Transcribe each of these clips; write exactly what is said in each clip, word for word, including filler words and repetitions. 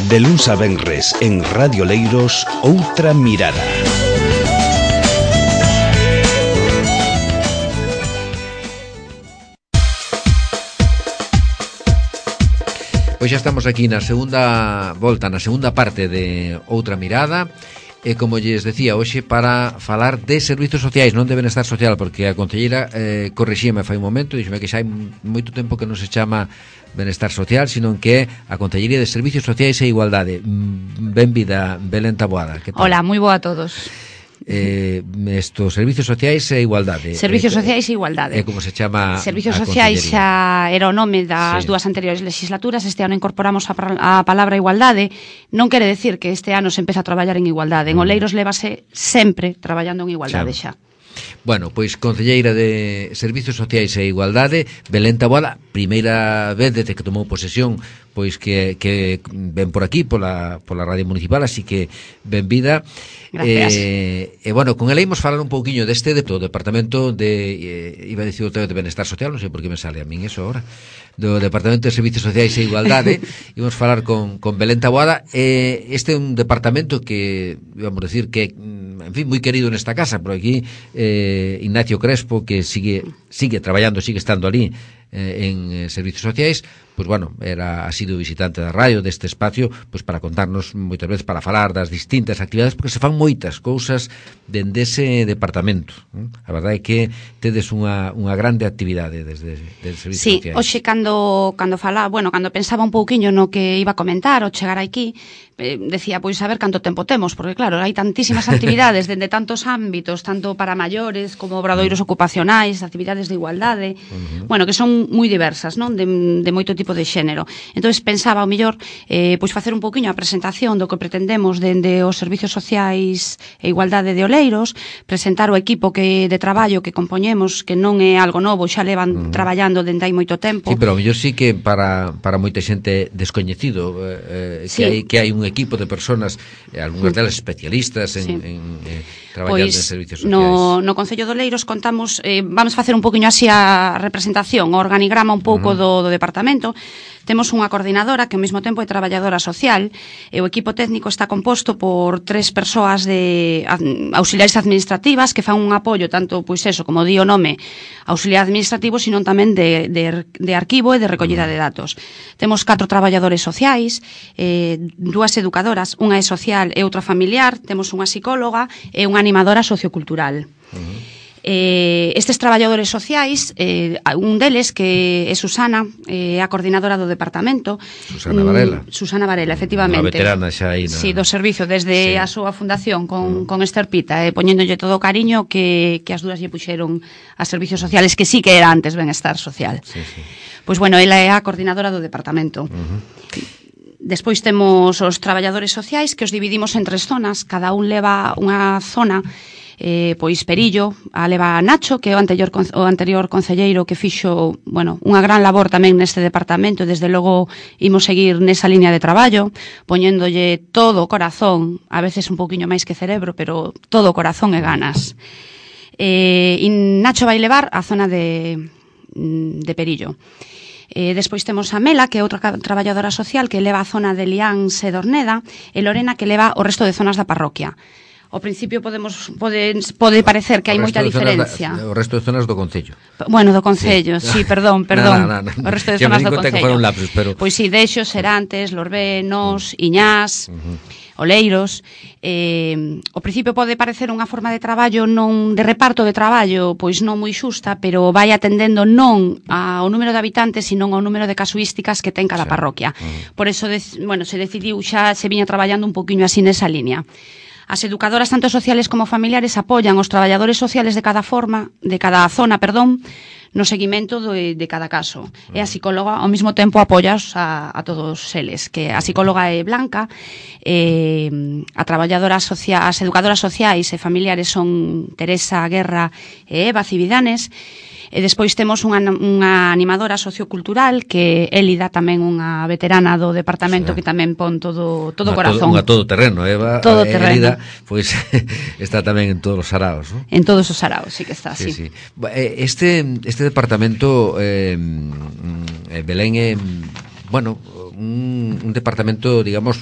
De luns a venres en Radio Leiros, Outra Mirada. Pois xa estamos aquí na segunda volta, na segunda parte de Outra Mirada. E como lles decía, hoxe para falar de servizos sociais, non de benestar social, porque a concelleira eh, corrixíme fai un momento, dixeme que xa hai moito tempo que non se chama benestar social, sino que é a Concellería de Servizos Sociais e Igualdade. Benvida, Belén Taboada. Hola, moi boa a todos. Eh, estos servizos sociais e igualdade. Servizos eh, sociais e igualdade. É como se chama Servizos a sociais xa era o nome das sí. dúas anteriores legislaturas. Este ano incorporamos a, a palabra igualdade. Non quere decir que este ano se empeza a traballar en igualdade. En Oleiros lévase sempre traballando en igualdade xa. xa. Bueno, pois concelleira de Servizos Sociais e Igualdade, Belén Taboada, primeira vez desde que tomou posesión, pois que, que ven por aquí, pola, pola Radio Municipal, así que benvida. Gracias. Eh, e, bueno, con ela imos falar un pouquiño deste de, do Departamento de, eh, iba a dicir o de Benestar Social, non sei por que me sale a min eso ahora, do Departamento de Servizos Sociais e Igualdade. Imos falar con, con Belén Taboada. Eh, este é un departamento que, vamos a decir, que en fin, moi querido nesta casa, por aquí eh, Ignacio Crespo, que sigue sigue traballando, sigue estando ali eh, en eh, Servizos Sociais, pois bueno, era ha sido visitante da radio deste espacio, pois para contarnos moitas veces, para falar das distintas actividades, porque se fan moitas cousas dende ese departamento. A verdade é que tedes unha, unha grande actividade desde, desde Servizos sí, Sociais. Sí, hoxe cando, cando falaba, bueno, cando pensaba un pouquiño no que iba a comentar ao chegar aquí, eh, decía, pois, a ver canto tempo temos, porque claro, hai tantísimas actividades dende tantos ámbitos, tanto para maiores como obradoiros ocupacionais, actividades de igualdade, uh-huh. bueno, que son moi diversas, non? De, de moito tipo de xénero. Entonces pensaba ao mellor eh, pois facer un pouquiño a presentación do que pretendemos dende os Servizos Sociais e Igualdade de Oleiros, presentar o equipo que de traballo que compoñemos, que non é algo novo, xa levan uh-huh. traballando dende hai moito tempo. Sí, pero ao mellor sí que para, para moita xente descoñecido eh, que, sí. hai, que hai un equipo de personas, eh, algunhas delas especialistas en, sí. en eh, traballando pois, en servizos sociais. No, no Concello de Oleiros contamos, eh, vamos facer un pouquiño así a representación, o organigrama un pouco uh-huh. do, do departamento. Temos unha coordinadora que ao mesmo tempo é traballadora social, e o equipo técnico está composto por tres persoas de auxiliares administrativas que fan un apoio tanto, pois eso, como di o nome, auxiliar administrativo, sino tamén de, de, de arquivo e de recollida de datos. Temos catro traballadores sociais, eh, dúas educadoras, unha é social e outra familiar, temos unha psicóloga e unha animadora sociocultural. Uh-huh. Eh, estes traballadores sociais, eh, un deles que é Susana, eh, a coordinadora do departamento. Susana Varela. Mm, Susana Varela, efectivamente. Unha veterana xa aí. Na... Sí, do servicio, desde sí. a súa fundación con, mm. con Esther Pita, eh, poñéndolle todo o cariño que, que as dúas lle puxeron a servizos sociales, que sí que era antes benestar social. Sí, sí. Pois bueno, ela é a coordinadora do departamento. Uh-huh. Despois temos os traballadores sociais, que os dividimos en tres zonas, cada un leva unha zona. Eh, pois Perillo a leva a Nacho, que é o anterior, o anterior concelleiro que fixo, bueno, unha gran labor tamén neste departamento, e desde logo imos seguir nesa liña de traballo, poñéndolle todo o corazón, a veces un pouquiño máis que cerebro, pero todo o corazón e ganas. Eh, e Nacho vai levar a zona de, de Perillo. Eh, despois temos a Mela, que é outra traballadora social, que leva a zona de Liáns e Dorneda, e Lorena, que leva o resto de zonas da parroquia. Ao principio podemos pode, pode parecer que hai moita diferencia. Da, o resto de zonas do Concello. Bueno, do Concello, sí, sí perdón, perdón. No, no, no, no. O resto de zonas do Concello. Que lapsus, pero... Pois si, sí, Deixo, Serantes, Lorbé, Nos, Iñás, uh-huh. Oleiros. Eh, ao principio pode parecer unha forma de traballo non de reparto de traballo, pois non moi xusta, pero vai atendendo non ao número de habitantes, sino ao número de casuísticas que ten cada sí. parroquia. Uh-huh. Por eso, de, bueno, se decidiu xa se viña traballando un poquinho así nesa línea. As educadoras tanto sociales como familiares apoian os traballadores sociales de cada forma, de cada zona, perdón, no seguimento de, de cada caso. E a psicóloga ao mesmo tempo apoia a, a todos eles, que a psicóloga é Blanca, eh, a traballadora social, as educadoras sociais e familiares son Teresa Guerra e Eva Cividanes. E despois temos unha, unha animadora sociocultural que é Elida, tamén unha veterana do departamento, sí. que tamén pon todo todo unha corazón. Unha todo terreno, Eva. Todo terreno. Elida, pois está tamén en todos os saraos, ¿no? En todos os saraos, sí que está, sí. sí. sí. Este este departamento eh, Belén é bueno, un, un departamento, digamos,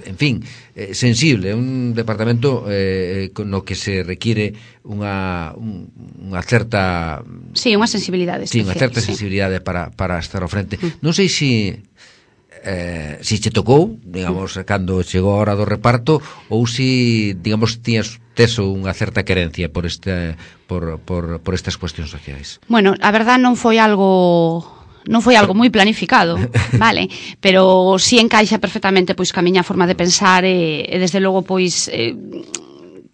en fin, eh, sensible, un departamento eh, con no que se requiere unha, un, unha certa... Sí, unha sensibilidade Sí, especial, unha certa sí. sensibilidade para, para estar ao frente. Mm. Non sei se... Eh, si che tocou, digamos, mm. cando chegou a hora do reparto, ou si, digamos, tiñas teso unha certa querencia por, este, por, por, por estas cuestións sociais. Bueno, a verdad non foi algo... non foi algo moi planificado, vale, pero si encaixa perfectamente pois ca miña forma de pensar e, e desde logo pois eh,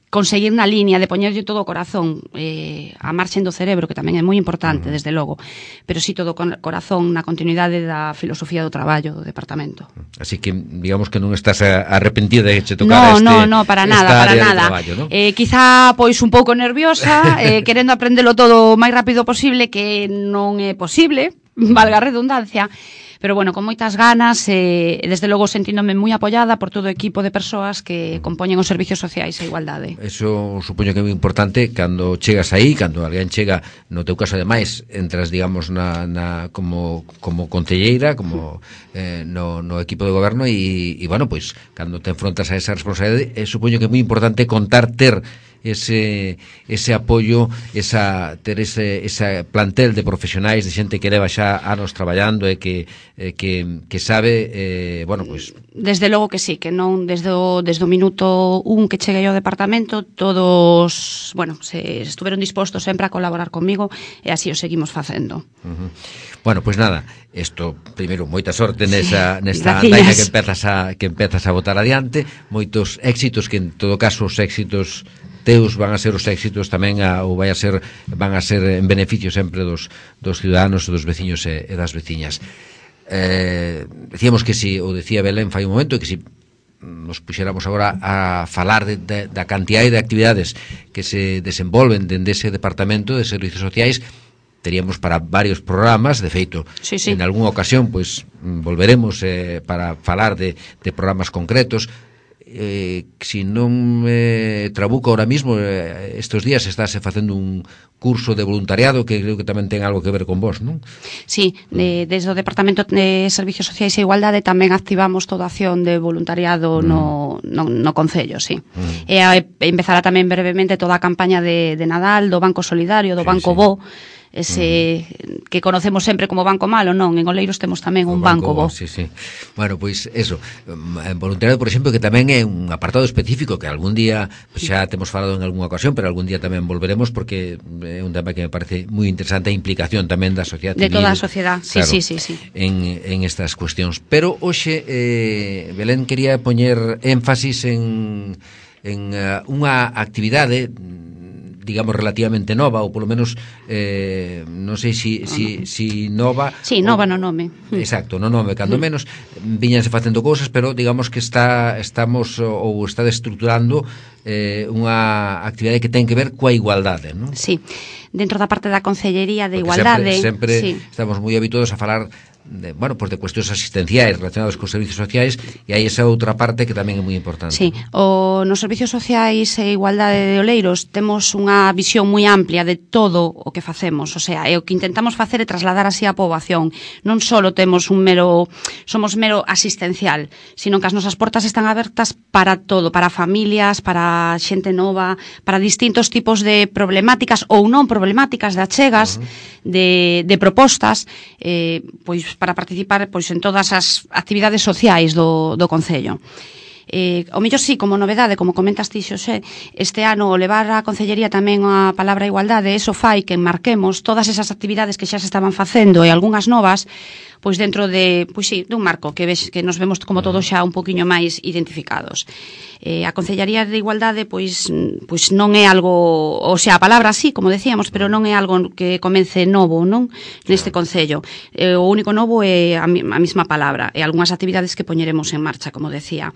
conseguir na línea de poñerlle todo o corazón eh, a marxen do cerebro, que tamén é moi importante, uh-huh. desde logo, pero si todo o corazón na continuidade da filosofía do traballo do departamento. Así que, digamos que non estás arrepentida de que che tocara no, este, no, no, para nada, para nada. Traballo, ¿no? Eh, quizá, pois, un pouco nerviosa, eh, querendo aprendelo todo o máis rápido posible, que non é posible, valga a redundancia, pero bueno, con moitas ganas e eh, desde logo sentíndome moi apoiada por todo o equipo de persoas que compoñen os servicios sociais e igualdade. Eso supoño que é moi importante cando chegas aí, cando alguén chega, no teu caso ademais, entras, digamos, na, na como, como concelleira, como eh, no, no equipo de goberno e, e bueno, pois, cando te enfrontas a esa responsabilidade, eh, supoño que é moi importante contar ter ese ese apoio, esa ter ese esa plantel de profesionais, de xente que leva xa anos traballando e que eh, que que sabe eh, bueno, pois desde logo que sí, que non desde o desde o minuto un que cheguei ao departamento, todos, bueno, se estuveron dispostos sempre a colaborar comigo e así o seguimos facendo. Uh-huh. Bueno, pois pues nada, isto primeiro moita sorte nesa sí, nesta andaina que empezas a que empezas a botar adiante, moitos éxitos que en todo caso os éxitos teus van a ser os éxitos tamén a, ou vai a ser van a ser en beneficio sempre dos, dos ciudadanos, dos veciños e, e das veciñas. Eh, decíamos que si, ou decía Belén fai un momento, que si nos puxéramos agora a falar de, de, da cantidad de actividades que se desenvolven dende ese departamento de servicios sociais, teríamos para varios programas, de feito, sí, sí. en algunha ocasión pois volveremos eh, para falar de, de programas concretos. Eh, si non me trabuco ahora mismo, eh, estes días estáse facendo un curso de voluntariado que creo que tamén ten algo que ver con vos, non? Sí, de, desde o Departamento de Servicios Sociais e Igualdade tamén activamos toda a acción de voluntariado mm. no, no, no Concello, sí. Mm. E a, empezará tamén brevemente toda a campaña de, de Nadal, do Banco Solidario, do sí, Banco sí. Bo, ese uh-huh. que conocemos sempre como Banco Malo, non? En Oleiros temos tamén un Banco, banco Bo. Sí, sí. Bueno, pois eso, en voluntariado, por exemplo, que tamén é un apartado específico que algún día, pues, xa temos falado en algunha ocasión, pero algún día tamén volveremos porque é un tema que me parece moi interesante, a implicación tamén da sociedade de civil. toda a sociedade, sí, claro, sí, sí, sí. En, en estas cuestións. Pero hoxe eh, Belén quería poñer énfasis en, en uh, unha actividade digamos relativamente nova, ou polo menos eh, non sei si, si, si nova. Sí, nova no nome. Exacto, no nome, cando menos viñanse facendo cousas, pero digamos que está estamos ou está estruturando eh, unha actividade que ten que ver coa igualdade, non? Sí, dentro da parte da Concellería de Porque Igualdade sempre, sempre sí. estamos moi habituados a falar de, bueno, pues de cuestións asistenciais relacionadas cos servicios sociais e hai esa outra parte que tamén é moi importante. Sí, o nos servicios sociais e igualdade de Oleiros temos unha visión moi amplia de todo o que facemos, o sea, e o que intentamos facer é trasladar así a poboación. Non só temos un mero somos mero asistencial, sino que as nosas portas están abertas para todo, para familias, para xente nova, para distintos tipos de problemáticas ou non problemáticas, de achegas, uh-huh. de, de propostas, eh, pois para participar pois en todas as actividades sociais do, do Concello. Eh, o mellor sí, como novedade, como comentas ti, Xosé, este ano levar a Concellería tamén a palabra igualdade, eso fai que marquemos todas esas actividades que xa se estaban facendo e algunhas novas, pois dentro de, pois sí, dun marco que ves, que nos vemos como todos xa un poquinho máis identificados. Eh, a Concellaría de Igualdade pois pois non é algo, o sea, a palabra sí, como decíamos, pero non é algo que comece novo, non? Neste concello. Eh, o único novo é a, a mesma palabra e algunhas actividades que poñeremos en marcha, como decía.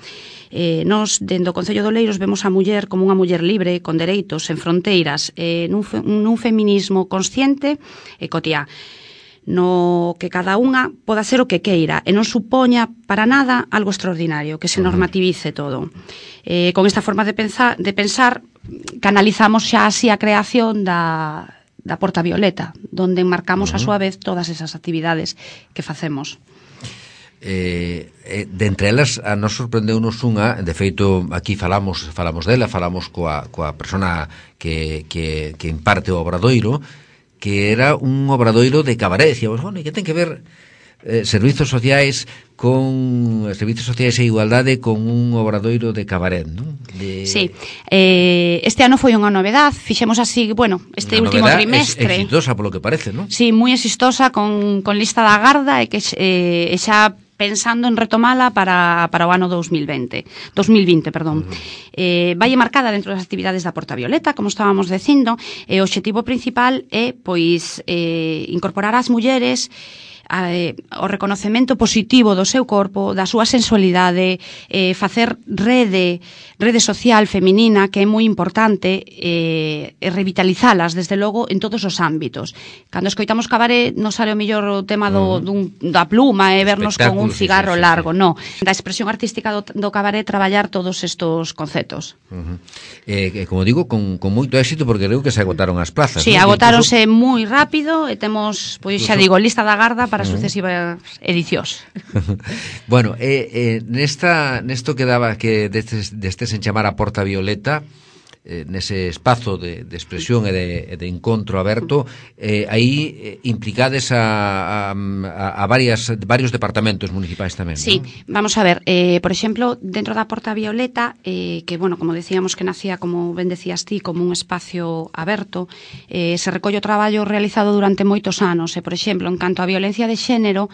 Eh, nos, dentro do Concello de Oleiros, vemos a muller como unha muller libre, con dereitos, en fronteiras, eh, nun, fe, nun feminismo consciente e cotiá, no que cada unha poda ser o que queira e non supoña para nada algo extraordinario, que se normativice todo. Eh, con esta forma de pensar, de pensar canalizamos xa así a creación da, da Porta Violeta, donde enmarcamos uh-huh. a súa vez todas esas actividades que facemos. Eh, eh, de entre elas a nos sorprendeunos unha, de feito aquí falamos falamos dela, falamos coa, coa persona que, que, que imparte o obradoiro, que era un obradoiro de cabaret. Decíamos, bueno, e que ten que ver eh, servizos sociais con servizos sociais e igualdade con un obradoiro de cabaret, non? De... Sí, eh, este ano foi unha novedad, fixemos así, bueno, este unha último trimestre. Exitosa polo que parece, non? Sí, moi exitosa, con, con lista da Garda, e que eh, xa pensando en retomala para, para o ano dos mil vinte, perdón. Uh-huh. Eh, vai marcada dentro das actividades da Porta Violeta, como estábamos dicindo, e o obxectivo principal é, pois, eh, incorporar as mulleres Eh, o reconocemento positivo do seu corpo, da súa sensualidade, eh, facer rede rede social feminina, que é moi importante, eh, e revitalizalas, desde logo, en todos os ámbitos. Cando escoitamos cabaret, non sale o mellor o tema do, dun, da pluma e vernos con un cigarro sí, sí, largo, sí. No. Da expresión artística do, do cabaret, traballar todos estos conceptos. Uh-huh. Eh, como digo, con, con moito éxito, porque creo que se agotaron as plazas. Sí, ¿no? agotáronse incluso... moi rápido, e temos, pois xa digo, lista da Garda para sucesivas edicións. Bueno, eh, eh, nesta nesto que daba que destes, destes en chamar a Porta Violeta, eh, nese espazo de, de expresión e de, de encontro aberto, eh, aí eh, implicades a, a, a varias, varios departamentos municipais tamén. Sí, ¿no? Vamos a ver, eh, por exemplo, dentro da Porta Violeta, eh, que, bueno, como decíamos que nacía, como ben decías ti, como un espacio aberto, eh, se recolle o traballo realizado durante moitos anos, e, por exemplo, en canto a violencia de xénero,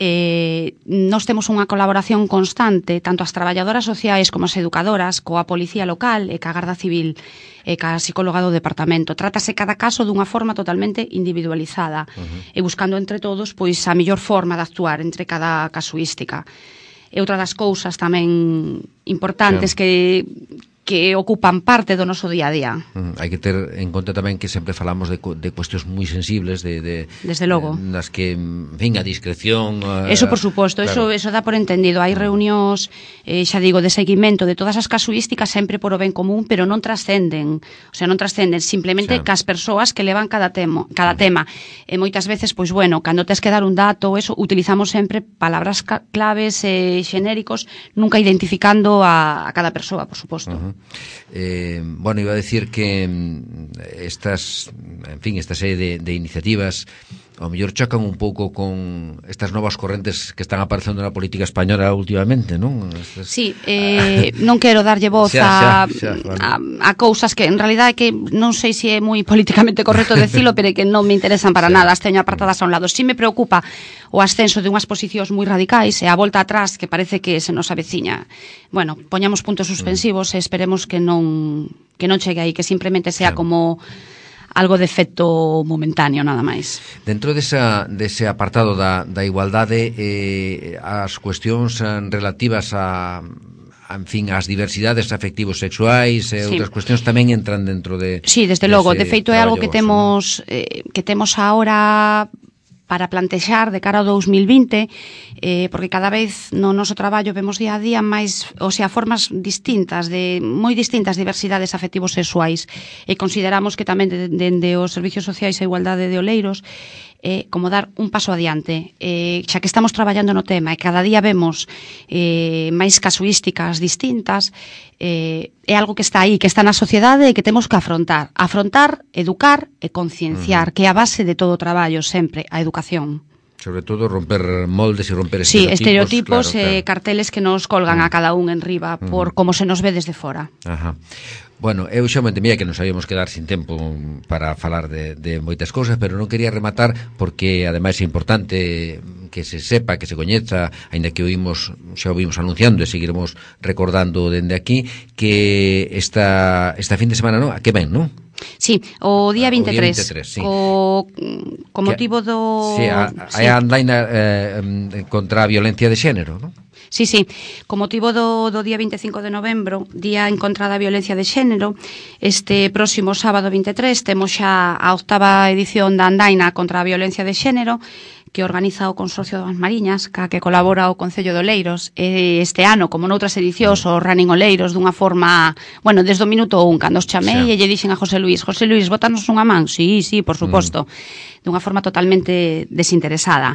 Eh, nós temos unha colaboración constante, tanto as traballadoras sociais como as educadoras, coa Policía Local e ca Garda Civil e ca psicóloga do departamento. Trátase cada caso dunha forma totalmente individualizada, uh-huh. e buscando entre todos, pois, a mellor forma de actuar entre cada casuística. E outra das cousas tamén importantes, claro, que que ocupan parte do noso día a día. Uh, hai que ter en conta tamén que sempre falamos de, de cuestións moi sensibles, de, de desde logo, eh, nas que, en fin, a discreción, uh, eso por suposto, claro, eso eso dá por entendido. Hai reunións, eh, xa digo, de seguimento de todas as casuísticas, sempre por o ben común, pero non trascenden, o sea, non trascenden simplemente xa cas persoas que levan cada temo, cada uh. tema. E moitas veces, pois bueno, cando tes que dar un dato, eso, utilizamos sempre palabras claves eh, xenéricos, nunca identificando a, a cada persoa, por suposto. Uh-huh. Eh, bueno, iba a decir que estas, en fin, esta serie de, de iniciativas ao mellor chocan un pouco con estas novas correntes que están aparecendo na política española últimamente, non? Estas... Sí, eh, non quero darlle voz xa, xa, xa, vale. a, a cousas que en realidad é que non sei se é moi políticamente correcto decilo, pero é que non me interesan para xa. nada, as teño apartadas a un lado. Si me preocupa o ascenso de unhas posicións moi radicais e a volta atrás que parece que se nos aveciña. Bueno, poñamos puntos suspensivos mm. e esperemos que non que non chegue aí, que simplemente sea xa. como algo de efecto momentáneo, nada máis. Dentro desa, dese apartado da, da igualdade, eh, as cuestións relativas a, a, en fin, as diversidades afectivos sexuais e sí. outras cuestións tamén entran dentro de... Sí, desde logo, de feito é algo que temos, eh, que temos ahora para plantexar de cara ao dous mil vinte, eh, porque cada vez no noso traballo vemos día a día máis, o sea, formas distintas, de moi distintas diversidades afectivos sexuais, e consideramos que tamén dende os servicios sociais e igualdade de Oleiros, eh, como dar un paso adiante, eh, xa que estamos traballando no tema e cada día vemos eh, máis casuísticas distintas, eh, é algo que está aí, que está na sociedade e que temos que afrontar. Afrontar, educar e concienciar, uh-huh. que é a base de todo o traballo sempre, a educación. Sobre todo romper moldes e romper sí, estereotipos. Sí, estereotipos e claro, eh, claro. carteles que nos colgan uh-huh. a cada un en riba por uh-huh. como se nos ve desde fora. Ajá. Bueno, eu xa me temía que nos habíamos quedar sin tempo para falar de, de moitas cousas, pero non quería rematar porque ademais é importante que se sepa, que se coñeza, aínda que oímos, xa o vimos anunciando e seguiremos recordando dende aquí, que esta, esta fin de semana, non? A que ven, non? Sí, o día vinte e tres, o, día vinte e tres sí. o co motivo do... Sí, a, sí. a andaina eh, contra a violencia de xénero, non? Sí, sí, co motivo do, do día vinte e cinco de novembro, día en contra da violencia de xénero, este próximo sábado vinte e tres temos xa a octava edición da andaina contra a violencia de xénero, que organiza o Consorcio das Mariñas, ca que colabora o Concello de Oleiros. E este ano, como noutras edicións, o Running Oleiros dunha forma, bueno, desde o minuto un, cando os chamei sí. e lle dixen a José Luis, José Luis, botanos unha man? Sí, sí, por suposto, mm. dunha forma totalmente desinteresada.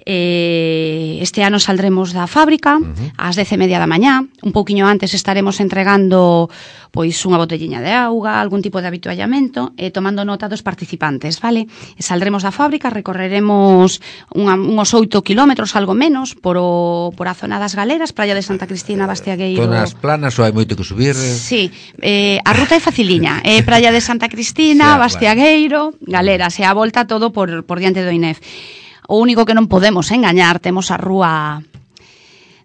Eh, este ano saldremos da fábrica uh-huh. ás dez e media da mañá. Un pouquiño antes estaremos entregando pois unha botelliña de auga, algún tipo de habituallamento, e eh, tomando nota dos participantes, vale? E saldremos da fábrica, recorreremos unha, uns oito kilómetros, algo menos, por, o, por a zona das Galeras, Praia de Santa Cristina, Bastiagueiro. Zonas planas ou hai moito que subir? Sí, eh, a ruta é faciliña, é eh, Praia de Santa Cristina, Bastiagueiro, Galeras, e a volta todo por, por diante do I N E F. O único que non podemos engañar, temos a rúa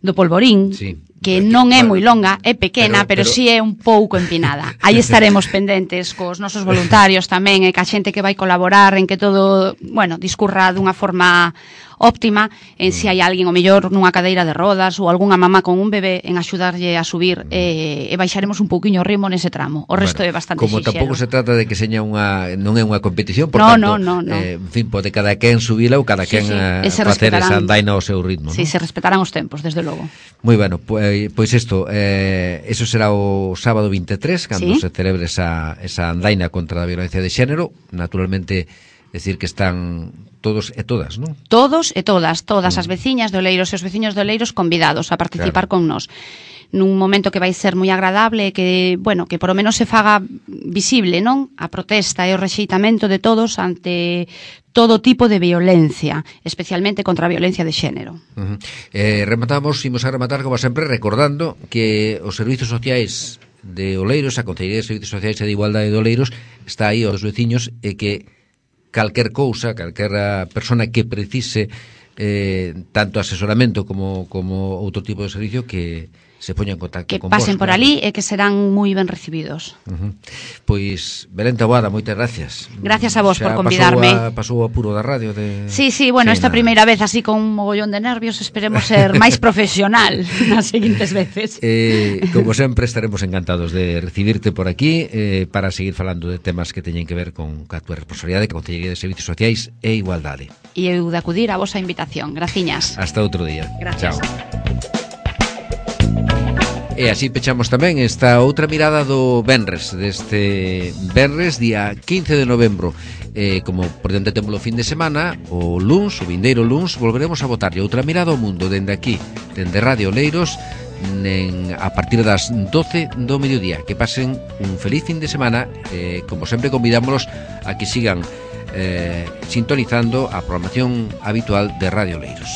do Polvorín, sí, que non é moi longa, é pequena, pero, pero, pero si é un pouco empinada. Aí estaremos pendentes cos nosos voluntarios tamén, e ca xente que vai colaborar en que todo, bueno, discurra dunha forma óptima, en si hai alguén o mellor nunha cadeira de rodas ou algunha mamá con un bebé en axudarlle a subir, e, e baixaremos un pouquiño o ritmo nese tramo. O resto bueno, é bastante como xixero. Tampouco se trata de que seña unha, non é unha competición, por no, tanto, no, no, no. Eh, en fin, pode cada quen subila ou cada sí, quen sí. uh, facer esa andaina ao seu ritmo. Sí, ¿no? Se respetarán os tempos, desde logo. Moi bueno, pois, pois isto, eh, eso será o sábado vinte e tres, cando ¿sí? se celebre esa, esa andaina contra a violencia de xénero. Naturalmente, decir que están todos e todas, non? Todos e todas, todas mm. as veciñas de Oleiros e os veciños de Oleiros convidados a participar claro. con nós. Nun momento que vai ser moi agradable, que, bueno, que por lo menos se faga visible, non? A protesta e o rexeitamento de todos ante todo tipo de violencia, especialmente contra a violencia de xénero. Uh-huh. Eh, rematamos, imos a rematar, como sempre, recordando que os servizos sociais de Oleiros, a Consellería de Servizos Sociais e de Igualdade de Oleiros, está aí aos veciños, e que calquer cousa, calquera persona que precise eh, tanto asesoramento como, como outro tipo de servicio, que se poña en contacto que con vos. Que pasen por claro. ali e que serán moi ben recibidos. Uh-huh. Pois, Belén Taboada, moitas gracias. Gracias a vos xa por convidarme. Pasou a, pasou a puro da radio de... Sí, sí, bueno, sí, esta nada. primeira vez así con un mogollón de nervios, esperemos ser máis profesional nas seguintes veces. Eh, como sempre, estaremos encantados de recibirte por aquí eh, para seguir falando de temas que teñen que ver con a túa responsabilidade, que a Consellería de Servizos Sociais e Igualdade. E eu de acudir a vosa invitación. Graciñas. Hasta outro día. Gracias. Chao. E así pechamos tamén esta outra mirada do Venres, deste Venres, día quince de novembro. Eh, como por diante temos o fin de semana, o luns, o vindeiro luns, volveremos a botarlle outra mirada ao mundo dende aquí, dende Radio Oleiros, en, a partir das doce do mediodía. Que pasen un feliz fin de semana. Eh, como sempre, convidámonos a que sigan eh, sintonizando a programación habitual de Radio Oleiros.